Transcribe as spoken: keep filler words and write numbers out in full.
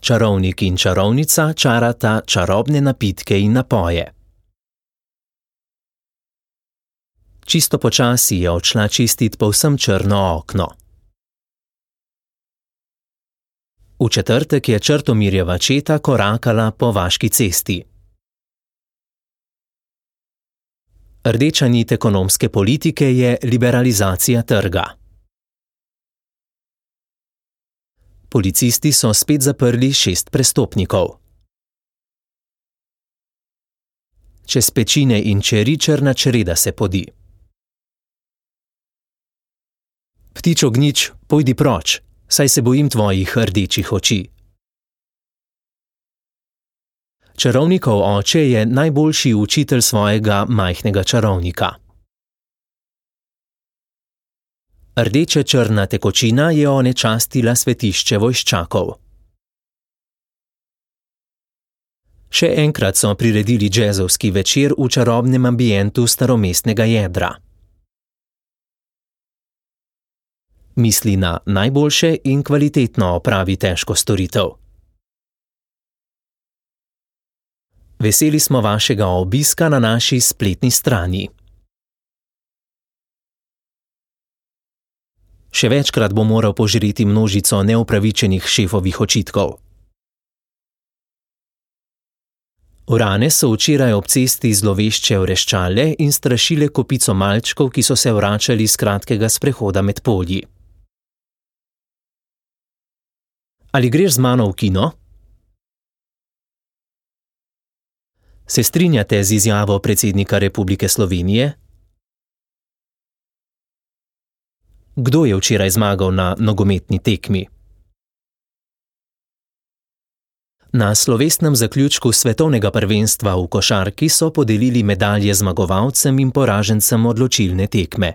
Čarovnik in čarovnica čarata čarobne napitke in napoje. Čisto počasi je odšla čistit povsem črno okno. V četrtek je Črtomirjeva četa korakala po vaški cesti. Rdeča nit ekonomske politike je liberalizacija trga. Policisti so spet zaprli šest prestopnikov. Čez pečine in čeri črna čreda se podi. Ptič ognjič, pojdi proč, saj se bojim tvojih rdečih oči. Čarovnikov oče je najboljši učitelj svojega majhnega čarovnika. Rdeče črna tekočina je onečastila svetišče vojščakov. Še enkrat so priredili džezovski večer v čarobnem ambientu staromestnega jedra. Misli na najboljše in kvalitetno opravi težko storitev. Veseli smo vašega obiska na naši spletni strani. Še večkrat bo moral požreti množico neupravičenih šefovih očitkov. Urane so včeraj ob cesti zlovešče vreščale in strašile kopico malčkov, ki so se vračali s kratkega sprehoda med polji. Ali greš z mano v kino? Se strinjate z izjavo predsednika Republike Slovenije? Kdo je včeraj zmagal na nogometni tekmi? Na slovesnem zaključku svetovnega prvenstva v košarki so podelili medalje zmagovalcem in poražencem odločilne tekme.